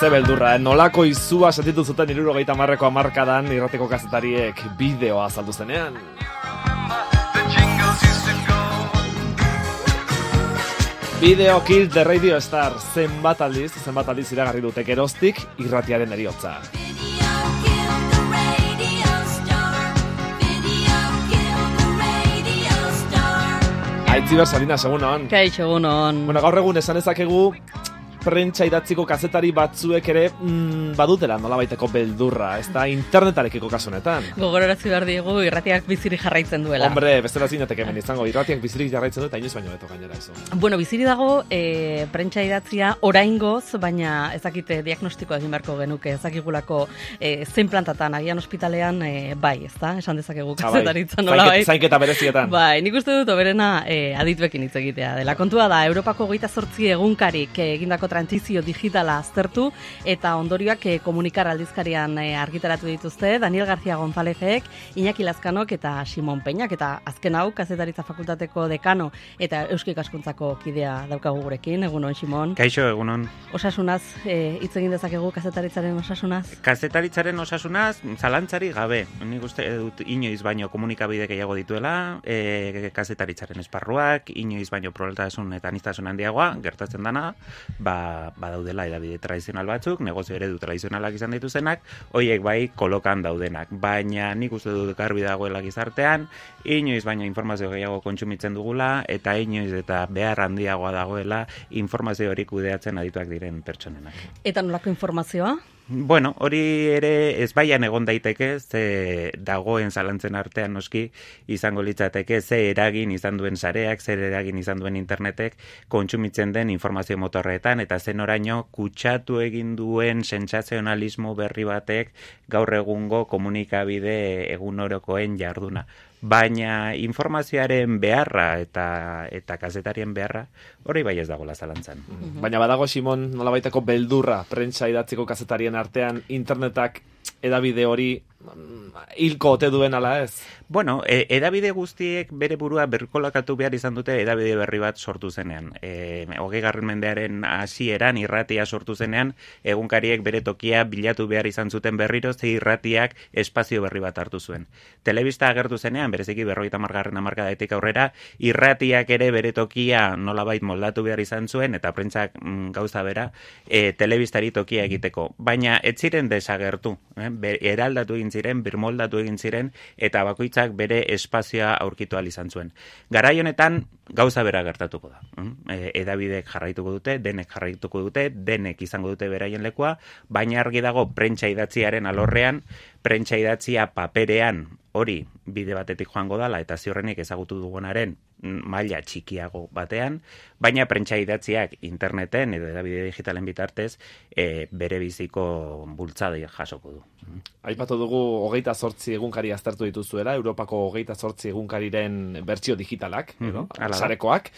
Ze beldurra, nolako izua sentitu zuten 70ko hamarkadan irratiko kazetariek bideoa azaldu zenean. Video Kill the Radio Star zenbat aldiz iragarri dute geroztik irratiaren heriotza. Aitziber Salinas, egunon. Kaixo, egunon. Bueno, gaur egun esan ezakegu prentsa idatziko kazetari batzuek ere badutela nolabaiteko beldurra, ez da internetarekiko kasu honetan. Gogorarazi behar diegu irratiak bizirik jarraitzen duela. Hombre, bestela zinateke hemen izango, irratiak bizirik jarraitzen du eta inoiz baino beto gainera eso. Bueno, biziri dago prentsa idatzia oraingoz, baina ezakite diagnostikoa egin beharko genuke, ezakigulako zein plantatan, agian ospitalean bai, ez da? Esan dezakegu kazetaritzan nola bai. Zainketa berezietan. Bai, nik uste dut oberena adituekin hitz egitea dela. Kontua da, Europako 28 egunkarik egindako transizio digitala aztertu eta ondorioak komunikar aldizkarian argitaratu dituzte Daniel García Gonzálezek, Iñaki Lazkanok eta Simon Peñak, eta azken hau kazetaritza fakultateko dekano eta Euskal Ikaskuntzako kidea daukagu gurekin. Egunon, Simon. Kaixo, egunon. Osasunaz hitz egin dezakegu kazetaritzaren osasunaz? Kazetaritzaren osasunaz zalantzari gabe. Nik uste dut inoiz baino komunikabide gehiago dituela, kazetaritzaren esparruak, inoiz baino pluraltasun eta aniztasun handiagoa gertatzen dana, badaudela edabide tradizional batzuk, negozio eredu tradizionalak izan dituzenak, hoiek bai kolokan daudenak, baina nik uste dut garbi dagoela gizartean, inoiz baino informazio gehiago kontsumitzen dugula, eta inoiz eta behar handiagoa dagoela informazio hori kudeatzen adituak diren pertsonenak. Eta nolako informazioa? Bueno, hori ere ezbaian egon daiteke, ze dagoen zalantzen artean noski izango litzateke ze eragin izan duen sareak, zer eragin izan duen internetek kontsumitzen den informazio motorretan, eta zen oraino kutsatu egin duen sentsazionalismo berri batek gaur egungo komunikabide egunorokoen jarduna. Baina informazioaren beharra eta kazetarien beharra hori bai ez dagoela zalantzan. Baina badago, Simon, nolabaiteko beldurra prentsa idatziko kazetarien artean internetak edabide hori hilko ote duen ala ez? Bueno, edabide guztiek bere burua berkolakatu behar izan dute edabide berri bat sortu zenean. 20. mendearen hasieran irratia sortu zenean, egunkariek bere tokia bilatu behar izan zuten berriro, ze irratiak espazio berri bat hartu zuen. Telebista agertu zenean, bereziki 50. hamarkadatik aurrera, irratiak ere bere tokia nolabait moldatu behar izan zuen, eta prentsak gauza bera, telebistari tokia egiteko. Baina ez ziren desagertu, eraldatu egin ziren, birmoldatu egin ziren, eta bakoitzak bere espazioa aurkitu ahal izan zuen. Garai honetan gauza bera gertatuko da. Edabidek jarraituko dute, denek izango dute beraien lekua, baina argi dago prentsa idatziaren alorrean, prentsa idatzia paperean hori bide batetik joango dala eta ziurrenik ezagutu dugunaren maila txikiago batean, baina prentsa idatziak interneten edo edabide digitalen bitartez bere biziko bultzada jasoko du. Aipatu dugu 28 egunkari aztertu dituzuela, Europako 28 egunkariren bertsio digitalak, edo, sarekoak.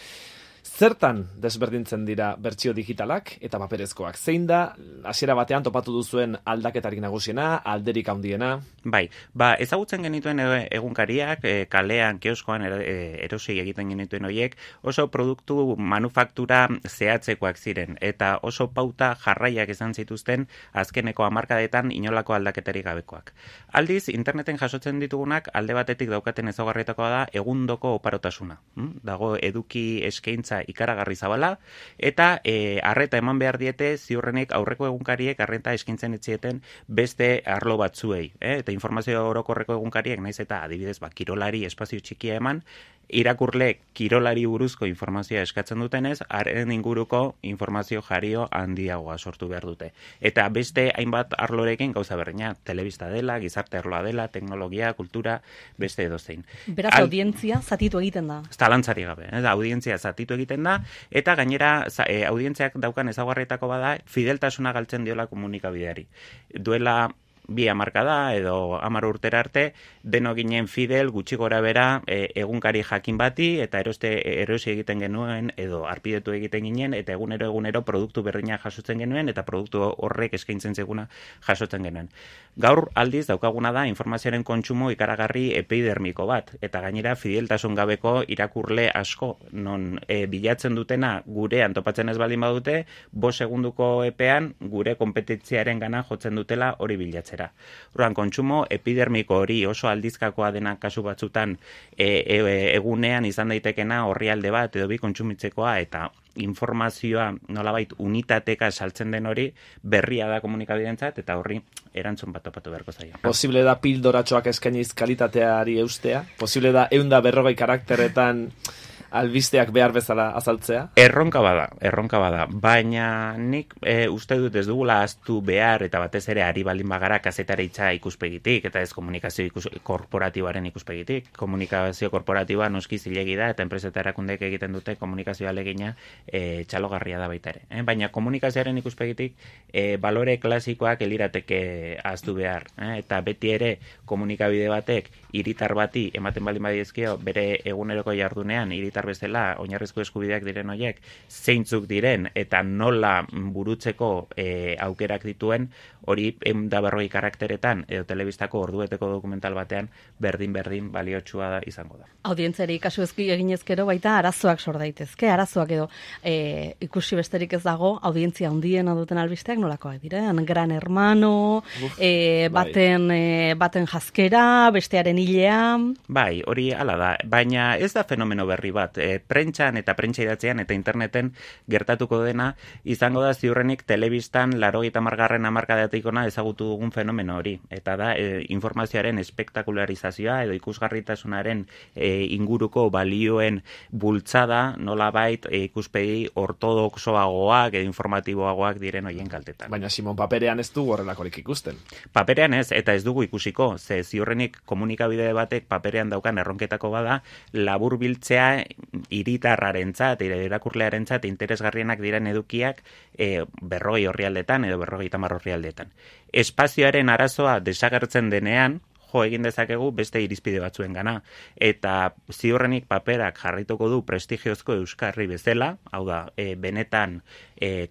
Zertan desberdintzen dira bertsio digitalak eta paperezkoak? Zein da hasiera batean topatu duzuen aldaketarik nagusiena, alderik handiena? Bai, ezagutzen genituen egunkariak, kalean, kioskoan erosi egiten genituen horiek, oso produktu manufaktura zehatzekoak ziren, eta oso pauta jarraiak izan zituzten azkeneko hamarkadetan inolako aldaketarik gabekoak. Aldiz, interneten jasotzen ditugunak alde batetik daukaten ezaugarrietakoa da egundoko oparotasuna. Dago eduki eskaintza ikaragarri zabala, eta arreta eman behar diete ziurrenik aurreko egunkariek arreta eskaintzen etzieten beste arlo batzuei. Eta informazio orokorreko egunkariek, naiz eta adibidez kirolari espazio txikia eman, irakurle kirolari buruzko informazioa eskatzen dutenez, haren inguruko informazio jario handiagoa sortu behar dute. Eta beste hainbat arlorekin gauza berdina, telebista dela, gizarte arloa dela, teknologia, kultura, beste edozein. Beraz, audientzia zatitu egiten da. Zalantzari gabe, audientzia zatitu egiten da, eta gainera audientziak daukan ezaugarrietako bada, fideltasuna galtzen diola komunikabideari. Duela 2 hamarkada edo 10 urtera arte, deno ginen fidel gutxi gora bera egunkari jakin bati, eta erosi egiten genuen, edo arpidetu egiten ginen, eta egunero produktu berdina jasotzen genuen, eta produktu horrek eskaintzen zeguna jasotzen genuen. Gaur aldiz daukaguna da informazioaren kontsumo ikaragarri epidermiko bat, eta gainera fideltasun gabeko irakurle asko, non bilatzen dutena gurean topatzen ez baldin badute, 5 segunduko epean gure konpetentziaren gana jotzen dutela hori bilatzera. Orduan, kontsumo epidermiko hori oso aldizkakoa dena kasu batzutan egunean izan daitekena orrialde bat edo bi kontsumitzekoa, eta informazioa nolabait unitateka saltzen den hori berria da komunikabidentzat, eta horri erantzun bat topatu beharko zaio. Posible da pildoratxoak eskainiz kalitateari eustea? Posible da 140 karakteretan albisteak behar bezala azaltzea? Erronka bada, baina nik uste dut ez dugula ahaztu behar, eta batez ere ari baldin bagara kazetaritza ikuspegitik, eta ez komunikazio korporatiboaren ikuspegitik. Komunikazio korporatiboa noski zilegi da, eta enpresa eta erakundeek egiten dute komunikazio alegina txalogarria da baita ere. Baina komunikazioaren ikuspegitik balore klasikoak elirateke ahaztu behar, eta beti ere komunikabide batek hiritar bati ematen baldin badiezkio bere eguneroko jardunean hiritar bezala oinarrizko eskubideak diren horiek zeintzuk diren eta nola burutzeko aukerak dituen, hori 140 karakteretan edo telebistako ordueteko dokumental batean berdin baliotsua da izango da. Audientzari kasu eginezkero baita arazoak sor daitezke, arazoak edo ikusi besterik ez dago, audientzia handiena duten albisteak nolakoak diren, Gran Hermano, baten jazkera, bestearen hilea. Bai, hori hala da, baina ez da fenomeno berri bat. Prentxan eta prentxa idatzean eta interneten gertatuko dena izango da ziurrenik telebistan 80. hamarkadatik hona ezagutu dugun fenomeno hori. Eta da informazioaren espektakularizazioa edo ikusgarritasunaren inguruko balioen bultzada nolabait ikuspegi ortodoxoagoak edo informatiboagoak diren hoien kaltetan. Baina Simon, paperean ez du horrelakorik ikusten. Paperean ez, eta ez dugu ikusiko, ze ziurrenik komunikabide batek paperean daukan erronketako bada labur biltzea hiritarrarentzat, irakurlearentzat interesgarrienak diren edukiak 40 orrialdetan edo 50 orrialdetan. Espazioaren arazoa desagertzen denean, egin dezakegu beste irizpide batzuen gana. Eta ziurrenik paperak jarrituko du prestigiozko euskarri bezala, hau da, benetan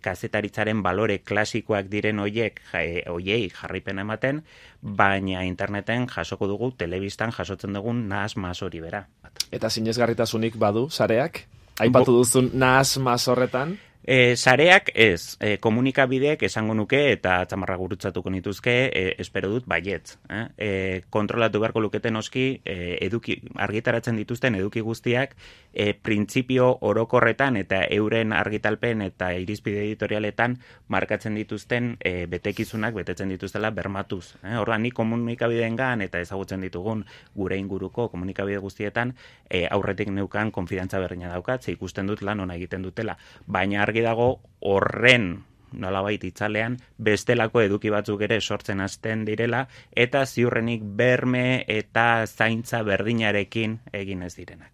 kazetaritzaren balore klasikoak diren hoiei jarripena ematen, baina interneten jasoko dugu, telebistan jasotzen dugun nahas hori bera. Eta sinesgarritasunik badu, sareak? Aipatu duzun nahas horretan? Sareak ez, komunikabideek esango nuke eta txamarra gurutzatuko nituzke, espero dut baietz. Kontrolatu beharko luketen noski, argitaratzen dituzten eduki guztiak, printzipio orokorretan eta euren argitalpen eta irizpide editorialetan markatzen dituzten betekizunak betetzen dituztela bermatuz. Orduan, ni komunikabideengan eta ezagutzen ditugun gure inguruko komunikabide guztietan aurretik neukan konfidantza berdina daukat, ze ikusten dut lan ona egiten dutela. Baina argi dago horren nolabait itzalean bestelako eduki batzuk ere sortzen hasten direla eta ziurrenik berme eta zaintza berdinarekin egin ez direnak.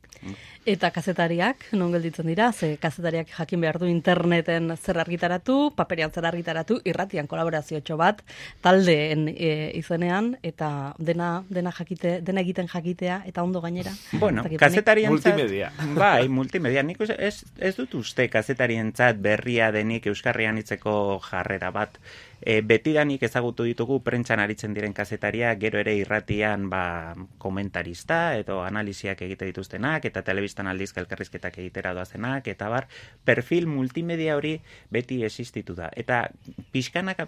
Eta kazetariak, non gelditzen dira, ze kazetariak jakin behar du interneten zer argitaratu, paperean zer argitaratu, irratian kolaboraziotxo bat, taldeen izenean, eta dena egiten jakitea, eta ondo gainera. Bueno, kazetarientzat... Multimedia. Bai, multimedia. Nik ez dut uste kazetarientzat berria denik euskarrian hitzeko jarrera bat. Betidanik ezagutu ditugu prentxan aritzen diren kazetaria, gero ere irratian komentarista edo analiziak egite dituztenak, eta telebistan aldizka elkarrizketak egitera doazenak, eta perfil multimedia hori beti existitu da. Eta pixkanaka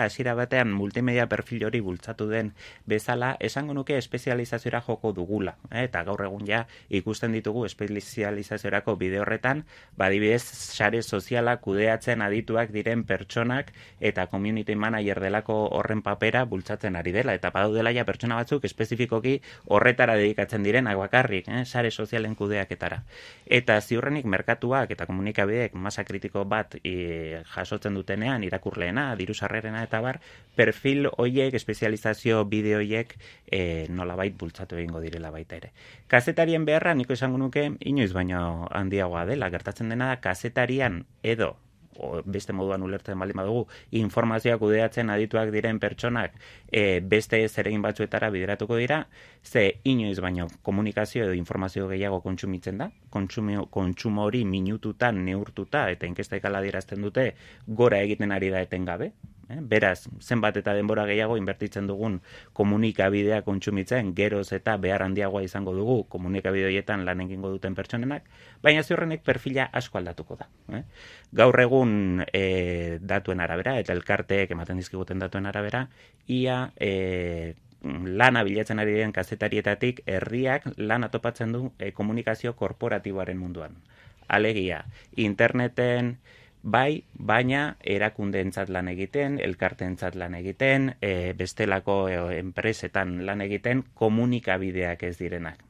hasiera batean multimedia perfil hori bultzatu den bezala, esango nuke espezializaziora joko dugula. Eta gaur egun ja ikusten ditugu espezializaziorako bide horretan, badibidez sare soziala kudeatzen adituak diren pertsonak eta community manager delako horren papera bultzatzen ari dela, eta badaudela ja pertsona batzuk espezifikoki horretara dedikatzen direnak bakarrik, sare sozialen kudeaketara. Eta ziurrenik merkatuak eta komunikabideek masa kritiko bat jasotzen dutenean, irakurleena, dirusarrerena eta perfil hoiek, espezializazio bideo hoiek nolabait bultzatu egingo direla baita ere. Kazetarien beharra, niko esango nuke, inoiz baino handiagoa dela, gertatzen dena da kazetarian edo beste moduan ulertzen baldin badugu, informazioa kudeatzen adituak diren pertsonak beste zeregin batzuetara bideratuko dira, ze inoiz baino komunikazio edo informazio gehiago kontsumitzen da, kontsumo hori minututan, neurtuta, eta inkestek ala dirazten dute, gora egiten ari da etengabe. Beraz, zenbat eta denbora gehiago inbertitzen dugun komunikabidea kontsumitzen, geroz eta behar handiagoa izango dugu komunikabide horietan lan egingo duten pertsonenak, baina ziurrenek perfila asko aldatuko da. Gaur egun datuen arabera, eta elkarteek ematen dizkiguten datuen arabera, ia lana bilatzen ari diren kazetarietatik herriak lana topatzen du komunikazio korporatiboaren munduan. Alegia, interneten bai, baina erakundeentzat lan egiten, elkarteentzat lan egiten, bestelako enpresetan lan egiten komunikabideak ez direnak.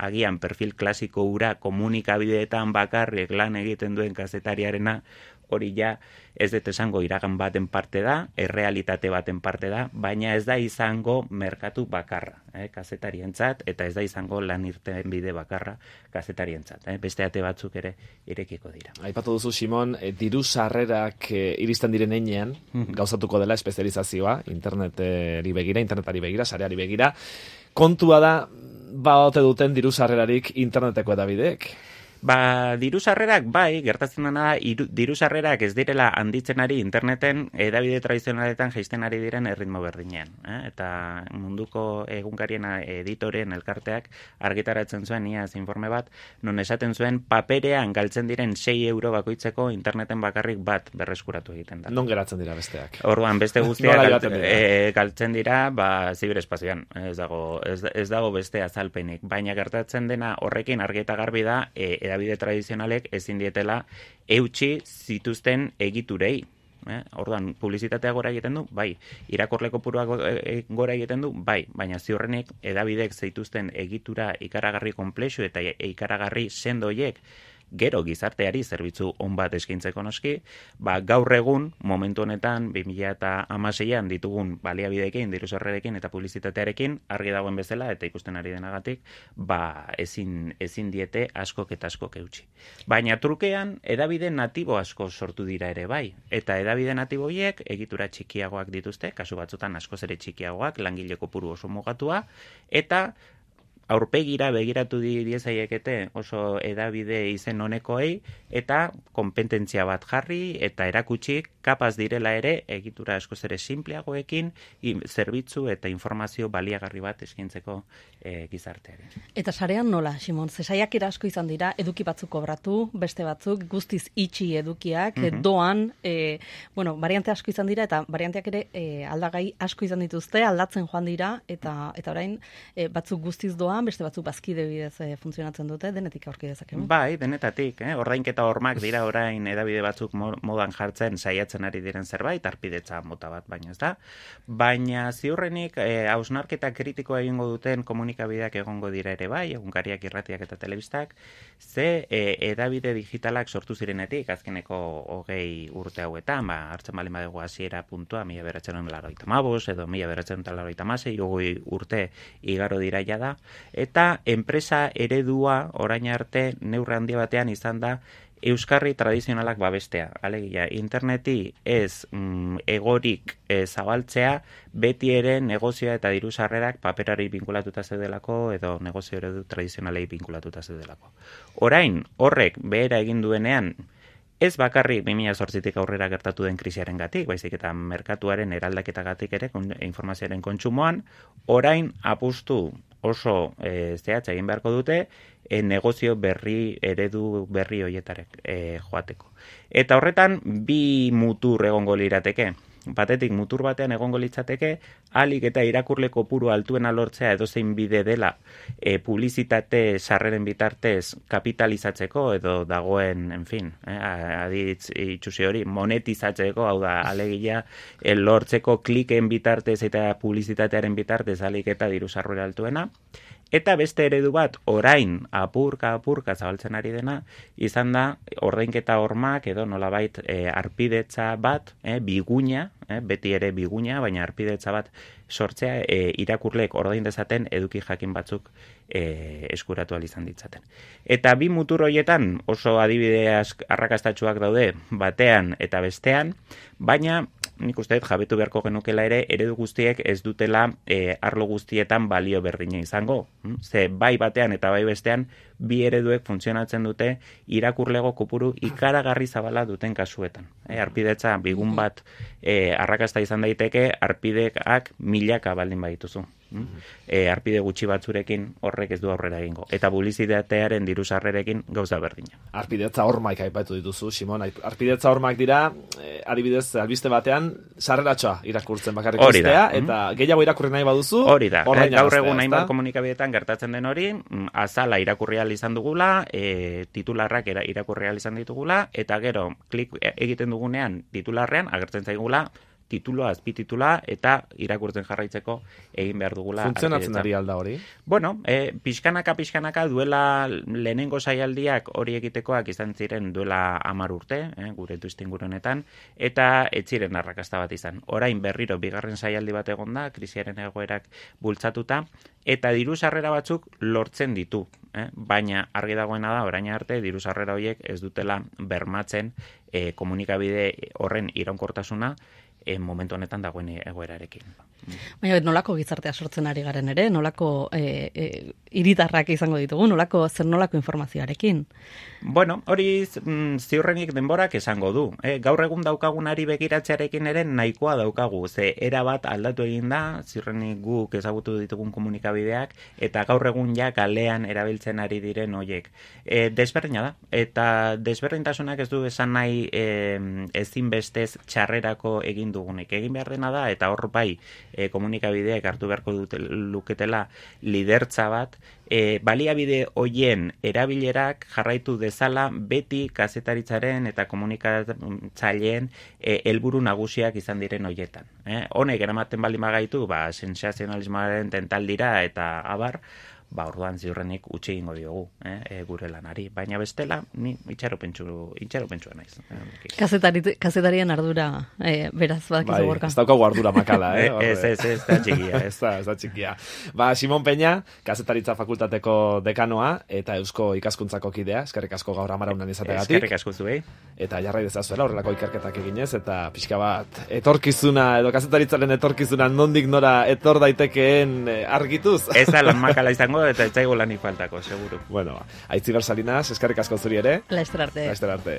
Agian perfil klasiko hura komunikabideetan bakarrik lan egiten duen kazetariarena, hori ja ez dut esango iragan baten parte da, errealitate baten parte da, baina ez da izango merkatu bakarra, kazetarientzat, eta ez da izango lan irten bide bakarra kazetarientzat. Beste ate batzuk ere irekiko dira. Aipatu duzu, Simon, diru sarrerak iristen diren heinean, gauzatuko dela espezializazioa, internetari begira, sareari begira. Kontua da, ote duten diru sarrerarik interneteko edabideek? Diru sarrerak bai, gertatzen dena diru sarrerak ez direla handitzen ari interneten edabide tradizionaletan jaisten ari diren erritmo berdinean. Eta munduko egunkarien editoreen elkarteak argitaratzen zuen iaz informe bat, non esaten zuen paperean galtzen diren 6 euro bakoitzeko interneten bakarrik bat berreskuratu egiten da. Non geratzen dira besteak? Orduan, beste guztiak galtzen dira ziberespazioan. Ez dago beste azalpenik. Baina gertatzen dena horrekin argi eta garbi da edabide tradizionalek ezin dietela eutsi zituzten egiturei. Orduan, publizitatea gora egiten du, bai. Irakurle kopuruak gora egiten du, bai. Baina ziurrenik edabidek zeituzten egitura ikaragarri konplexu eta ikaragarri sendoiek gero gizarteari zerbitzu on bat eskaintzeko noski, gaur egun, momentu honetan, 2016an ditugun baliabideekin, diru sarrerekin eta publizitatearekin, argi dagoen bezala, eta ikusten ari denagatik, ezin diete askok eta askok eutsi. Baina trukean, edabide natibo asko sortu dira ere bai, eta edabide natibo horiek egitura txikiagoak dituzte, kasu batzutan askoz ere txikiagoak, langile kopuru oso mugatua, eta aurpegira begiratu diezaiekete oso edabide izen honekoei eta konpetentzia bat jarri eta erakutsi kapaz direla ere egitura askoz ere simpleagoekin zerbitzu eta informazio baliagarri bat eskaintzeko gizarteari. Eta sarean nola, Simon? Saiakera asko izan dira, eduki batzuk kobratu, beste batzuk guztiz itxi edukiak, doan, variante asko izan dira eta varianteak ere aldagai asko izan dituzte, aldatzen joan dira eta orain batzuk guztiz doan, beste batzuk bazkide bidez funtzionatzen dute, denetik aurki dezakegu. Bai, denetatik, ordainketa hormak dira orain edabide batzuk modan jartzen saiatzen ari diren zerbait, arpidetza mota bat baino ez da, baina ziurrenik hausnarketa kritikoa egingo duten komunikabideak egongo dira ere bai, egunkariak, irratiak eta telebistak, ze edabide digitalak sortu zirenetik, azkeneko 20 urte hauetan, hartzen baldin badugu hasiera puntua, 1985 edo 1986, 20 urte igaro dira jada, eta enpresa eredua orain arte neurri handi batean izan da euskarri tradizionalak babestea. Alegia, interneti ez egorik zabaltzea, beti ere negozioa eta diru sarrerak paperari binkulatuta zeudelako edo negozio eredu tradizionalei binkulatuta zeudelako. Orain, horrek behera egin duenean, ez bakarrik 2008tik aurrera gertatu den krisiaren gatik, baizik eta merkatuaren eraldaketagatik ere informazioaren kontsumoan, orain apustu oso zehatza egin beharko dute negozio berri, eredu berri horietarek joateko. Eta horretan, bi mutur egongo lirateke. Batetik mutur batean egongo litzateke, ahalik eta irakurle kopuru altuena lortzea edozein bide dela publizitate sarreren bitartez kapitalizatzeko edo dagoen, aditz itxusi hori, monetizatzeko, hau da, alegia lortzeko kliken bitartez eta publizitatearen bitartez ahalik eta diru sarrera altuena. Eta beste eredu bat, orain apurka zabaltzen ari dena, izan da ordainketa hormak edo nolabait arpidetza bat, biguina, beti ere biguina, baina arpidetza bat sortzea irakurleek ordain dezaten eduki jakin batzuk eskuratu ahal izan ditzaten. Eta bi mutur horietan oso adibide arrakastatsuak daude batean eta bestean, baina nik uste dut jabetu beharko genukela ere eredu guztiek ez dutela arlo guztietan balio berdina izango. Ze bai batean eta bai bestean bi ereduek funtzionatzen dute irakurlego kopuru ikaragarri zabala duten kasuetan. Arpidetza bigun bat arrakasta izan daiteke, arpideak milaka baldin badituzu. Arpide gutxi batzurekin horrek ez du aurrera egingo. Eta publizitatearen diru sarrerekin gauza berdina. Arpidetza hormak aipatu dituzu, Simon. Arpidetza hormak dira, adibidez, albiste batean, sarreratxoa irakurtzen bakarrik ustea, eta gehiago irakurri nahi baduzu, hori da. Gaur egun hainbat komunikabideetan gertatzen den hori, azala irakurri ahal izan dugula, titularrak irakurri ahal izan ditugula, eta gero, klik egiten dugunean titularrean, agertzen zaigula, tituloa, azpititula, eta irakurtzen jarraitzeko egin behar dugula. Funtzionatzen ari alda hori? Bueno, pixkanaka duela lehenengo saialdiak hori egitekoak izan ziren duela 10 urte, gure tuistingurunetan, eta ez ziren arrakasta bat izan. Orain berriro bigarren saialdi bat egon da, krisiaren egoerak bultzatuta, eta diru sarrera batzuk lortzen ditu. Baina argi dagoena da, orain arte, diru sarrera horiek ez dutela bermatzen komunikabide horren iraunkortasuna, momentu honetan dagoen egoerarekin. Baina nolako gizartea sortzen ari garen ere, nolako hiritarrak izango ditugu, zer nolako informazioarekin? Bueno, hori ziurrenik denborak esango du. Gaur egun daukagunari begiratzearekin ere nahikoa daukagu. Ze era bat aldatu egin da, ziurrenik guk ezagutu ditugun komunikabideak, eta gaur egun ja kalean erabiltzen ari diren hoiek. Desberdina da, eta desberdintasunak ez du esan nahi ezinbestez txarrerako egin dugunik. Egin behar dena da, eta hor bai komunikabideak hartu beharko luketela lidertza bat, baliabide hoien erabilerak jarraitu dezala beti kazetaritzaren eta komunikatzaileen helburu nagusiak izan diren hoietan. Honek eramaten baldin bagaitu, sensazionalismoaren tentaldira eta abar, orduan ziurrenik utzi egingo diogu gure lanari. Baina bestela, ni itxaropentsua naiz. Kazetarien ardura, beraz, bakizu Gorka. Ez daukagu ardura makala, Ez da txikia. Ez da txikia. Simon Peña, Kazetaritza Fakultateko dekanoa, eta Eusko Ikaskuntzako kidea, eskerrik asko gaur amaraunan izategatik. Eskerrik asko zuei. Eta jarrai dezazuela horrelako ikerketak eginez, eta pixka bat, etorkizuna, edo kazetaritzaren etorkizuna nondik nora etor daitekeen argituz. Ez da lan makala izango, eta ez zaigu lanik faltako, seguru. Bueno, Aitziber Salinas, eskerrik asko zuri ere. Laster arte. Laster arte.